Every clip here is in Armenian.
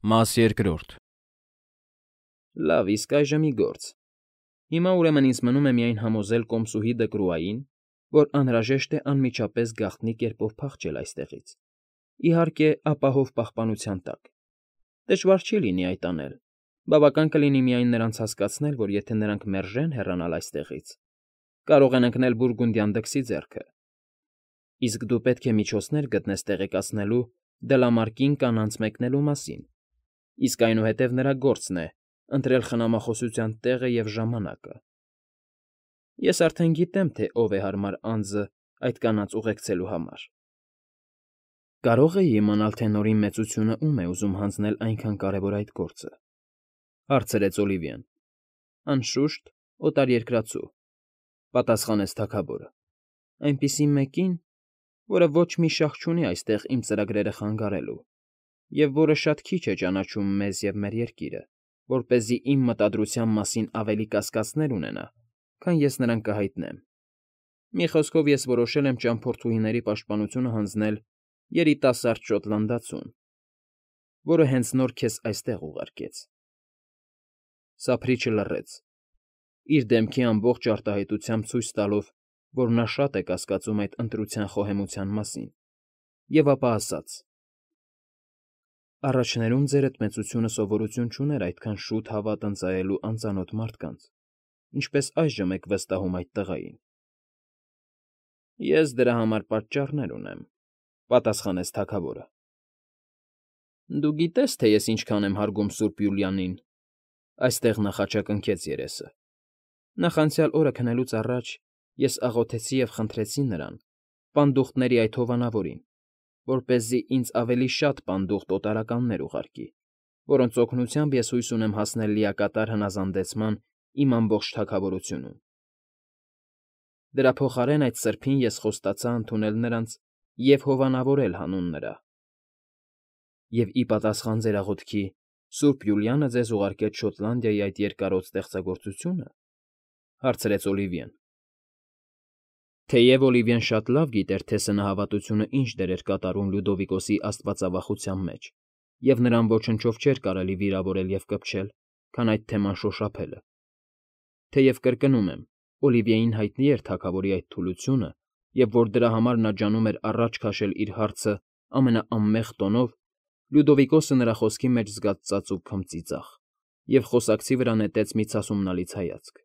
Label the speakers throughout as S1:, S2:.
S1: Մաս երկրորդ։ Լավ, իսկ այժմ մի գործ։ Հիմա ուրեմն ինձ մնում է միայն համոզել կոմսուհի Դկրուային, որ անհրաժեշտ է անմիջապես գաղտնի կերպով փախչել այստեղից, իհարկե, ապահով պահպանության տակ։ Դժվար չի լինի այդ անել, բավական կլինի միայն նրանց հասկացնել, որ եթե նրանք մերժեն հեռանալ այստեղից, կարող են ընկնել բուրգունդյան դքսի ձեռքը։ Իսկ դու պետք է միջոցներ գտնես տեղեկացնելու Դլամարկին կանանց մեկնելու մասին, իսկ այնուհետև նրա գործն է ընտրել խնամախոսության տեղը և ժամանակը։ Ես արդեն գիտեմ, թե ով է հարմար անձը այդ կանանց ուղեկցելու համար։ Կարո՞ղ էի իմանալ, թե Նորի մեծությունը ում է ուզում հանձնել այնքան կարևոր այդ գործը, հարցրեց Օլիվիան։ Անշուշտ, օտարերկրացու, պատասխանեց թագավորը, այնպիսի մեկին, որը ոչ մի շահ չունի այստեղ իմ ծրագրերը խանգարելու, և որը շատ քիչ է ճանաչում մեզ և մեր երկիրը, որպեսզի իմ մտադրության մասին ավելի կասկածներ ունենա, քան ես նրան կհայտնեմ։ Մի խոսքով, ես որոշել եմ ճամփորդուհիների պաշտպանությունը հանձնել երիտասարդ շոտլանդացուն, որը հենց նոր քեզ այստեղ ուղարկեց։ Սափրիչը լռեց, իր դեմքի ամբողջ արտահայտությամբ ցույց տալով, որ նա շատ է կասկածում այդ ընտրության խոհեմության մասին, և ապա ասաց. Առաջներում ձերդ մեծությունը սովորություն չուներ այդքան շուտ հավատ ընծայելու անծանոթ մարդկանց, ինչպես այժմ եք վստահում այդ տղային։ Ես դրա համար պատճառներ ունեմ, պատասխանեց թագավորը։ Դու գիտես, թե ես ինչքան եմ հարգում Սուրբ Յուլիանին, այստեղ նա խաչակնքեց երեսը։ Նախանցյալ օրը քնելուց առաջ ես աղոթեցի և խնդրեցի նրան, պանդուխտների այդ հովանավորին, որպեսզի ինձ ավելի շատ պանդուխտ օտարականներ ուղարկի, որոնց օգնությամբ ես հույս ունեմ հասնել լիակատար հնազանդեցման իմ ամբողջ թագավորությունում։ Դրա փոխարեն այդ սրբին ես խոստացա ընդունել նրանց և հովանավորել հանուն նրա։ Եվ ի պատասխան ձեր աղոթքի Սուրբ Յուլիանը ձեզ ուղարկեց Շոտլանդիայի այդ երկարոտ ստեղծագործությո՞ւնը, հարցրեց Օլիվիան։ Թեև Օլիվիան շատ լավ գիտեր, թե սնահավատությունը ինչ դեր էր կատարում Լյուդովիկոսի աստվածավախության մեջ, և նրան ոչնչով չէր կարելի վիրավորել և կպչել, քան այդ թեման շոշափելը։ Թեև կրկնում եմ, Օլիվիային հայտնի էր թագավորի այդ թուլությունը, և որ դրա համար նա ջանում էր առաջ քաշել իր հարցը ամենաանմեղ տոնով, Լյուդովիկոսը նրա խոսքի մեջ զգաց ծածուկ քմծիծաղ և խոսակցի վրա նետեց մի ցասումնալից հայացք։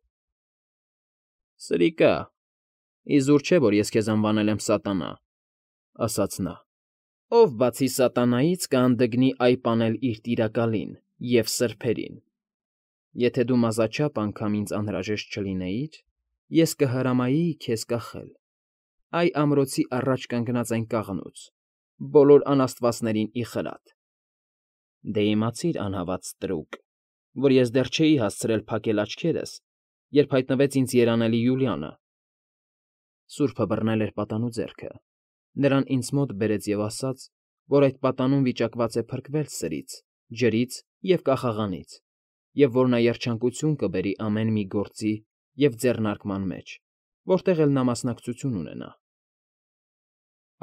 S1: Սրիկա, իզուր չէ, որ ես քեզ անվանել եմ սատանա, ասաց նա, ով բացի սատանայից կհանդգնի այ պանել իր տիրակալին և սրբերին։ Եթե դու մազաչափ անգամ ինձ անհրաժեշտ չլինեիր, ես կհրամայեի քեզ կախել, այ ամրոցի առաջ կանգնած այն կաղնուց, բոլոր անաստվածներին ի խրատ։ Դե իմացիր, անհավատ ստրուկ, որ ես դեռ չէի հասցրել փակել աչքերս, երբ հայտնվեց ինձ երանելի Յուլիանը։ Սուրբը բռնել էր պատանու ձեռքը, նրան ինձ մոտ բերեց և ասաց, որ այդ պատանուն վիճակված է փրկվել սրից, ջրից և կախաղանից, և որ նա երջանկություն կբերի ամեն մի գործի և ձեռնարկման մեջ, որտեղ էլ նա մասնակցություն ունենա։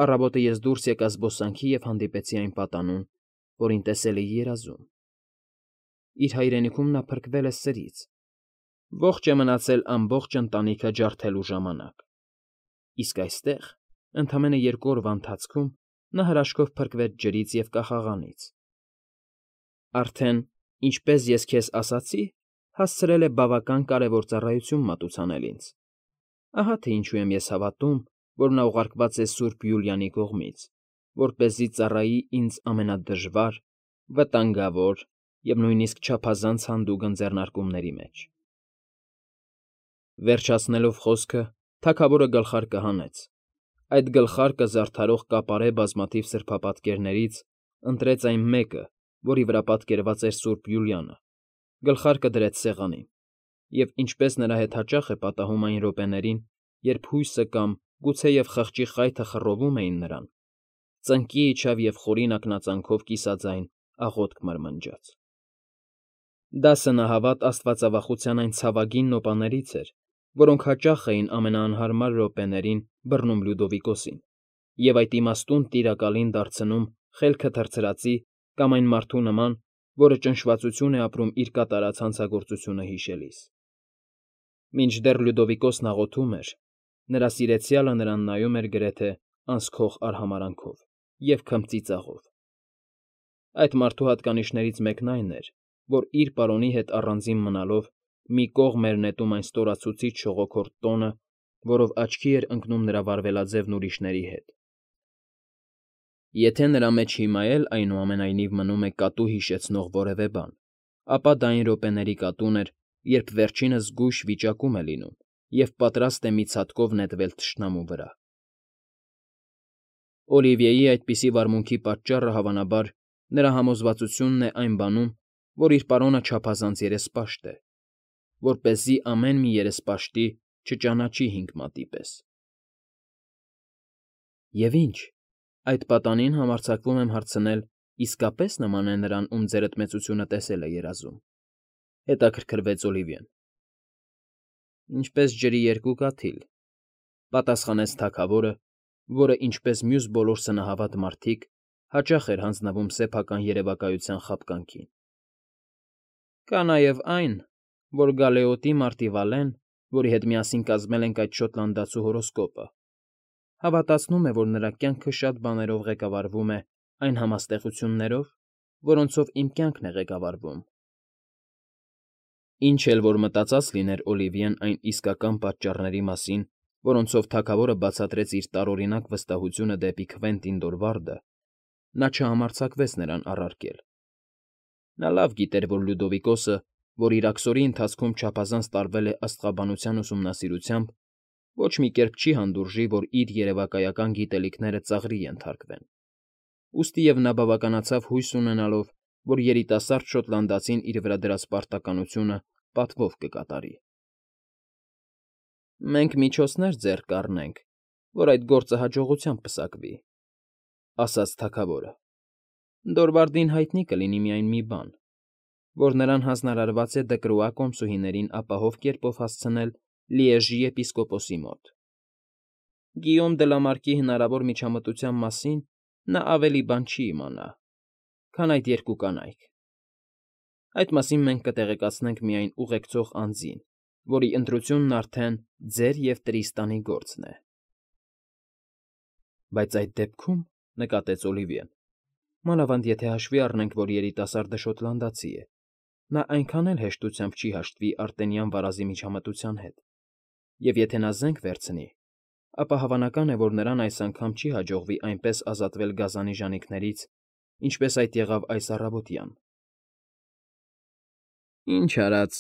S1: Առավոտը ես դուրս եկա զբոսանքի և հանդիպեցի այն պատանուն, որին տեսել էի երազում։ Իր հայրենիքում նա փրկվել է սրից, ողջ է մնացել ամբողջ ընտանիքը ջարդելու ժամանակ, իսկ այստեղ, ընդամենը 2 օրվա ընթացքում, նա հրաշքով փրկվեց ջրից և կախաղանից։ Արդեն, ինչպես ես քեզ ասացի, հասցրել է բավական կարևոր ծառայություն մատուցանել ինձ։ Ահա թե ինչու եմ ես հավատում, որ նա ուղարկված է Սուրբ Յուլիանի կողմից, որպեսզի ծառայի ինձ ամենադժվար, վտանգավոր և նույնիսկ չափազանց հանդուգն ձեռնարկումների մեջ։ Վերջացնելով խոսքը, թագավորը գլխարկը հանեց։ Այդ գլխարկը զարդարող կապարե բազմաթիվ սրբապատկերներից ընտրեց այն մեկը, որի վրա պատկերված էր Սուրբ Յուլիանը, գլխարկը դրեց սեղանին, և, ինչպես նրա հետ հաճախ է պատահում այն րոպեներին, երբ հույսը կամ գուցեև խղճի խայթը խռովում էին նրան, ծնկի իջավ և խորին ակնածանով կիսաձայն աղոթք մրմնջաց։ Դա սնահավատ աստվածավախության այն ցավագին նոպաներից էր, որոնք հաճախ էին ամենաանհարմար րոպեներին բռնում Լյուդովիկոսին և այդ իմաստուն տիրակալին դարձնում խելքը թռցրածի կամ այն մարդու նման, որը ճնշվածություն է ապրում իր կատարած հանցագործությունը հիշելիս։ Մինչդեռ Լյուդովիկոսն աղոթում էր, նրա սիրեցյալը նրան նայում էր գրեթե անսքող արհամարանքով և քմծի ծաղով։ Այդ մարդու հատկանիշներից մեկն այն էր, որ իր պարոնի հետ առանձին մնալով մի կողմ էր նետում այն ստորացուցիչ շողոքորթ տոնը, որով աչքի էր ընկնում նրա վարվելաձևն ուրիշների հետ։ Եթե նրա մեջ հիմա էլ այնուամենայնիվ մնում է կատու հիշեցնող որևէ բան, ապա դա այն րոպեների կատուն էր, երբ վերջինս զգույշ վիճակում է լինում և պատրաստ է մի ցատկով նետվել թշնամու վրա։ Օլիվիեի այդպիսի վարմունքի պատճառը, հավանաբար, նրա համոզվածությունն է այն բանում, որ իր պարոնը չափազանց երեսպաշտ է, որպեսզի ամեն մի երեսպաշտի չճանաչի հինգ մատի պես։ Եվ ինչ, այդ պատանին համարձակվում եմ հարցնել, իսկապե՞ս նման է նրան, ում ձերդ մեծությունը տեսել է երազում,֊ հետաքրքրվեց Օլիվիեն։ Ինչպես ջրի երկու կաթիլ,֊ պատասխանեց թագավորը, որը, ինչպես մյուս բոլոր սնահավատ մարդիկ, հաճախ էր հանձնվում սեփական երևակայության խաբկանքին։ Կա նաև այն, որ Գալեոտի մարտի Վալեն, որի հետ միասին կազմել ենք այդ շոտլանդացու հորոսկոպը, հավատացնում է, որ նրա կյանքը շատ բաներով ղեկավարվում է այն համաստեղություններով, որոնցով իմ կյանքն է ղեկավարվում։ Ինչ էլ որ մտածած լիներ Օլիվիեն այն իսկական պատճառների մասին, որոնցով թագավորը բացատրեց իր տարօրինակ վստահությունը դեպի Քվենտին Դորվարդը, նա չհամարձակվեց նրան առարկել։ Նա լավ գիտեր, որ Լյուդովիկոսը, որ իր աքսորի ընթացքում չափազանց տարվել է աստղաբանության ուսումնասիրությամբ, ոչ մի կերպ չի հանդուրժի, որ իր երևակայական գիտելիքները ծաղրի ենթարկվեն։ Ուստի և նա բավականացավ հույս ունենալով, որ երիտասարդ շոտլանդացին իր վրա դրած պարտականությունը պատվով կկատարի։ Մենք միջոցներ ձեռք կառնենք, որ այդ գործը հաջողությամբ պսակվի,֊ ասաց թագավորը։ Դորվարդին հայտնի կլինի միայն մի բան, որ նրան հանձնարարված է Դկրուա կոմսուհիներին ապահով կերպով հասցնել Լիեժի եպիսկոպոսի մոտ։ Գիյոմ դը Լամարկի հնարավոր միջամտության մասին նա ավելի բան չի իմանա, քան այդ երկու կանայք։ Այդ մասին մենք կտեղեկացնենք միայն ուղեկցող անձին, որի ընտրությունն արդեն ձեր և Տրիստանի գործն է։ Բայց այդ դեպքում, նկատեց Օլիվիեն, մանավանդ եթե հաշվի առնենք, որ երիտասարդը շոտլանդացի է, նա այնքան էլ հեշտությամբ չի հաշտվի արտենյան վարազի միջամտության հետ, և եթե նա զենք վերցնի, ապա հավանական է, որ նրան այս անգամ չի հաջողվի այնպես ազատվել գազանի ժանիքներից, ինչպես այդ եղավ այս առավոտյան։ Ինչ արած,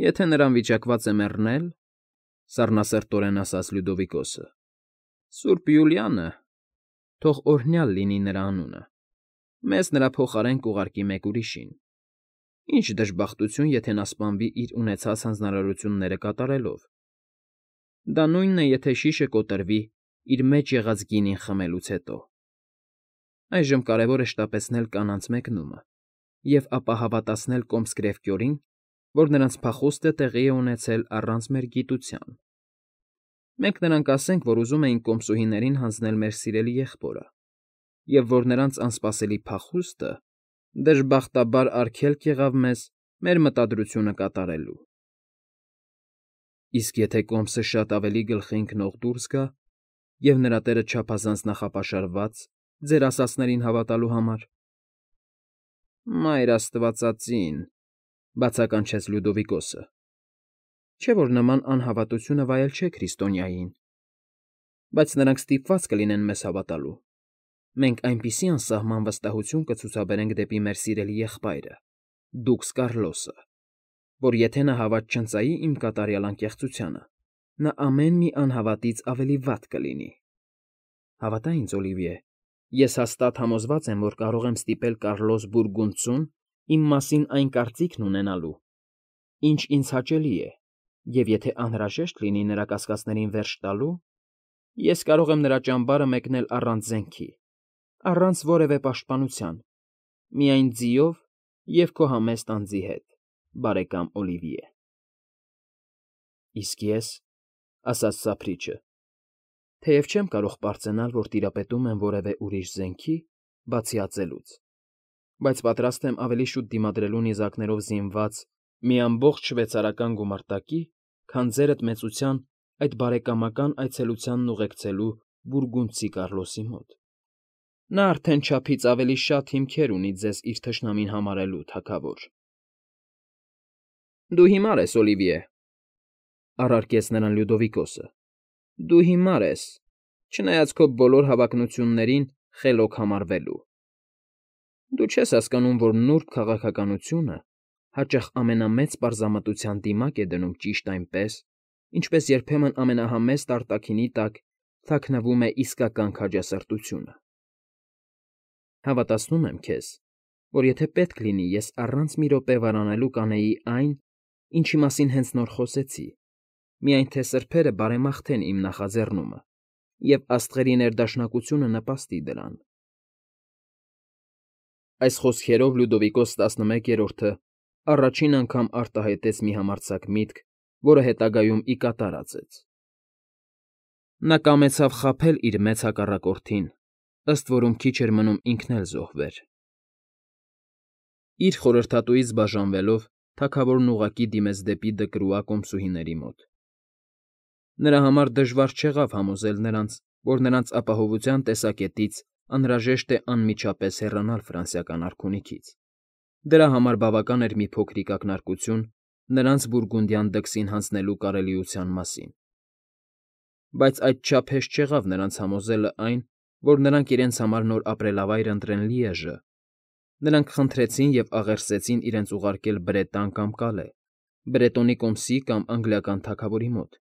S1: եթե նրան վիճակված է մեռնել,֊ սառնասրտորեն ասաց Լյուդովիկոսը,֊ Սուրբ Յուլիանը, թող օրհնյալ լինի նրա անունը, մեզ նրա փոխարեն կուղարկի մեկ ուրիշին։ Ինչ դժբախտություն, եթե նա սպանվի իր ունեցած հանձնարարությունները կատարելով։ Դա նույնն է, եթե շիշը կոտրվի իր մեջ եղած գինին խմելուց հետո։ Այժմ կարևոր է շտապեցնել կանանց մեկնումը և ապա հավատացնել կոմս Կրևկյորին, որ նրանց փախուստը տեղի է ունեցել առանց մեր գիտության։ Մենք նրանք ասենք, որ ուզում էինք կոմսուհիներին հանձնել մեր սիրելի եղբորը, և որ նրանց անսպասելի փախուստը, դժբախտաբար, արգելք եղավ մեզ մեր մտադրությունը կատարելու։ Իսկ եթե կոմսը շատ ավելի գլխի ընկնող դուրս գա, և նրա տերը չափազանց նախապաշարված ձեր ասածներին հավատալու համար։ Մայր աստվածածին,֊ բացականչեց Լյուդովիկոսը,֊ չէ՞ որ նման անհավատությունը վայել չէ քրիստոնյային, բայց նրանք ստիպված կլինեն մեզ հավատալու։ Մենք այնպիսի անսահման վստահություն կցուցաբերենք դեպի մեր սիրելի եղբայրը, դուքս Կարլոսը, որ եթե նա հավատ չընծայի իմ կատարյալ անկեղծությանը, նա ամեն մի անհավատից ավելի վատ կլինի։ Հավատա ինձ, Օլիվիե, ես հաստատ համոզված եմ, որ կարող եմ ստիպել Կարլոս Բուրգունդցուն իմ մասին այն կարծիքն ունենալու, ինչ ինձ հաճելի է, և եթե անհրաժեշտ լինի նրա կասկածներին վերջ տալու, ես կարող եմ նրա ճամբարը մեկնել առանց զենքի, առանց որևէ պաշտպանության, միայն ձիով և քո համեստ անձի հետ, բարեկամ Օլիվիե։ Իսկ ես,֊ ասաց սափրիչը, թեև չեմ կարող պարծենալ, որ տիրապետում եմ որևէ ուրիշ զենքի, բացի ածելուց, բայց պատրաստ եմ ավելի շուտ դիմադրելու նիզակներով զինված մի ամբողջ շվեյցարական գումարտակի, քան ձերդ մեծության այդ բարեկամական այցելությանն ուղեկցելու բուրգունդցի Կառլոսի մոտ։ Նա արդեն չափից ավելի շատ հիմքեր ունի ձեզ իր թշնամին համարելու, թագավոր։ Դու հիմար ես, Օլիվիե,֊ առարկեց նրան Լյուդովիկոսը։֊ Դու հիմար ես, չնայած քո բոլոր հավակնություններին խելոք համարվելու։ Դու չես հասկանում, որ նուրբ քաղաքականությունը հաճախ ամենամեծ պարզամտության դիմաք է դնում ճիշտ այնպես, ինչպես երբեմն ամենահամեստ արտաքինի տակ թաքնվում է իսկական քաջասրտությունը։ Հավատացնում եմ քեզ, որ եթե պետք լինի, ես առանց մի րոպե վարանելու կանեի այն, ինչի մասին հենց նոր խոսեցի, միայն թե սրբերը բարեմաղթեն իմ նախաձեռնումը, և աստղերի ներդաշնակությունը նպաստի դրան։ Այս խոսքերով Լյուդովիկոս 11-րդը առաջին անգամ արտահայտեց մի համարձակ միտք, որը հետագայում ի կատար ածեց։ Նա կամեցավ խաբել իր մեծ հակառակորդին, ըստ որում քիչ էր մնում ինքն էլ զոհվեր։ Իր խորհրդատուից բաժանվելով՝ թագավորն ուղղակի դիմեց դեպի Դկրուա կոմսուհիների մոտ։ Նրա համար դժվար չեղավ համոզել նրանց, որ նրանց ապահովության տեսակետից անհրաժեշտ է անմիջապես հեռանալ ֆրանսիական արքունիքից։ Դրա համար բավական էր մի փոքրիկ ակնարկություն նրանց բուրգունդյան դքսին հանձնելու կարելիության մասին։ Բայց այդչափ հեշտ չեղավ նրանց համոզելը այն, որ նրանք իրենց համար նոր ապրելավայր ընտրեն Լիեժը։ Նրանք խնդրեցին և աղերսեցին իրենց ուղարկել Բրետան կամ Կալե, Բրետոնի կոմսի կամ անգլիական թագավորի մոտ,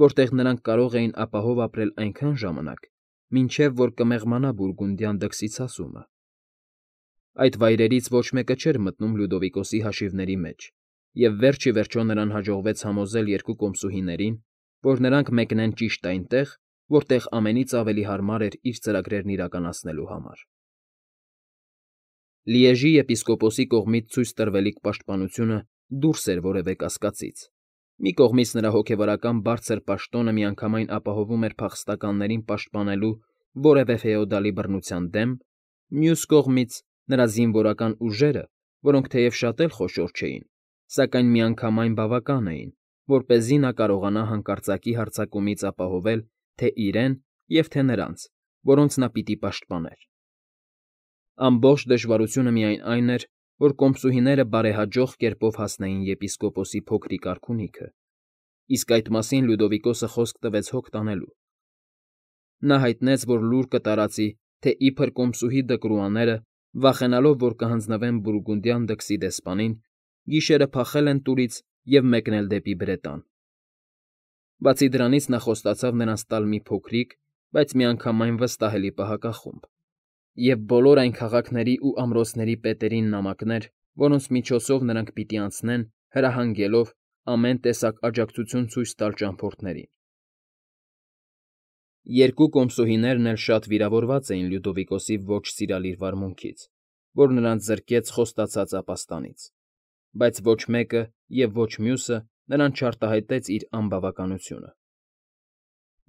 S1: որտեղ նրանք կարող էին ապահով ապրել այնքան ժամանակ, մինչև որ կմեղմանա բուրգունդյան դքսի ցասումը։ Այդ վայրերից ոչ մեկը չէր մտնում Լյուդովիկոսի հաշիվների մեջ, և վերջ ի վերջո նրան հաջողվեց համոզել երկու կոմսուհիներին, որ նրանք մեկնեն ճիշտ այնտեղ, որտեղ ամենից ավելի հարմար էր իր ծրագրերն իրականացնելու համար։ Լիեժի եպիսկոպոսի կողմից ցույց տրվելիք պաշտպանությունը դուրս էր որևէ կասկածից։ Մի կողմից նրա հոգևորական բարձր պաշտոնը միանգամայն ապահովում էր փախստականներին պաշտպանելու որևէ ֆեոդալի բռնության դեմ, մյուս կողմից նրա զինվորական ուժերը, որոնք թեև շատ էլ խոշոր չէին, սակայն միանգամայն բավական էին, որպեսզի նա կարողանա հանկարծակի հարձակումից ապահովել թե իրեն և թե նրանց, որոնց նա պիտի պաշտպաներ։ Ամբողջ դժվարությունը միայն այն էր, որ կոմսուհիները բարեհաջող կերպով հասնեին եպիսկոպոսի փոքրիկ արքունիքը, իսկ այդ մասին Լյուդովիկոսը խոսք տվեց հոգ տանելու։ Նա հայտնեց, որ լուր կտարածի, թե իբր կոմսուհի Դկրուաները, վախենալով, որ կհանձնվեն բուրգունդյան դքսի դեսպանին, գիշերը փախել են տուրից և մեկնել դեպի Բրետան։ Բացի դրանից նա խոստացավ նրանց տալ մի փոքրիկ, բայց միանգամայն վստահելի պահակախումբ, և բոլոր այն քաղաքների ու ամրոցների պետերին նամակներ, որոնց միջոցով նրանք պիտի անցնեն, հրահանգելով ամեն տեսակ աջակցություն ցույց տալ ճամփորդներին։ Երկու կոմսուհիներն էլ շատ վիրավորված էին Լյուդովիկոսի ոչ սիրալիր վարմունքից, որ նրանց զրկեց խոստացած ապաստանից, բայց ոչ մեկը և ոչ մյուսը նրան չարտահայտեց իր անբավականությունը։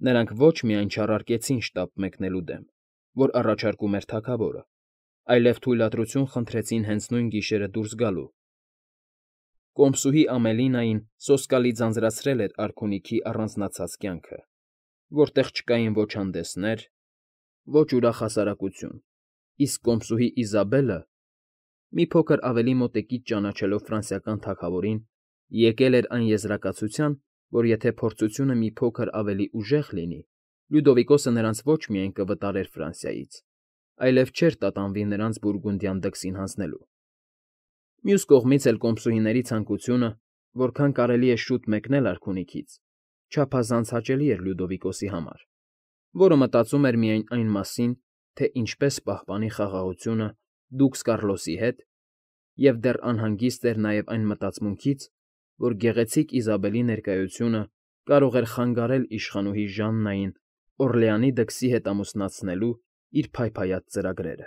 S1: Նրանք ոչ միայն չառարկեցին շտապ մեկնելու դեմ, որ առաջարկում էր թագավորը, այլև թույլատրություն խնդրեցին հենց նույն գիշերը դուրս գալու։ Կոմսուհի Ամելինային սոսկալի ձանձրացրել էր արքունիքի առանձնացած կյանքը, որտեղ չկային ոչ հանդեսներ, ոչ ուրախ հասարակություն, իսկ կոմսուհի Իզաբելը, մի փոքր ավելի մոտիկից ճանաչելով ֆրանսիական թագավորին, եկել էր այն եզրակացության, որ եթե փորձությունը մի փոքր ավելի ուժեղ լինի, Լյուդովիկոսը նրանց ոչ միայն կվտարեր Ֆրանսիայից, այլև չէր տատանվի նրանց բուրգունդյան դքսին հանձնելու։ Մյուս կողմից էլ կոմսուհիների ցանկությունը, որքան կարելի է շուտ մեկնել արքունիքից, չափազանց հաճելի էր Լյուդովիկոսի համար, որը մտածում էր միայն այն մասին, թե ինչպես պահպանի խաղաղությունը դուքս Կառլոսի հետ, և դեռ անհանգիստ էր նաև այն մտածմունքից, որ գեղեցիկ Իզաբելի ներկայությունը կարող էր խանգարել իշխանուհի Ժաննային Օռլեանի դքսի հետ ամուսնացնելու իր փայփայած ծրագրերը։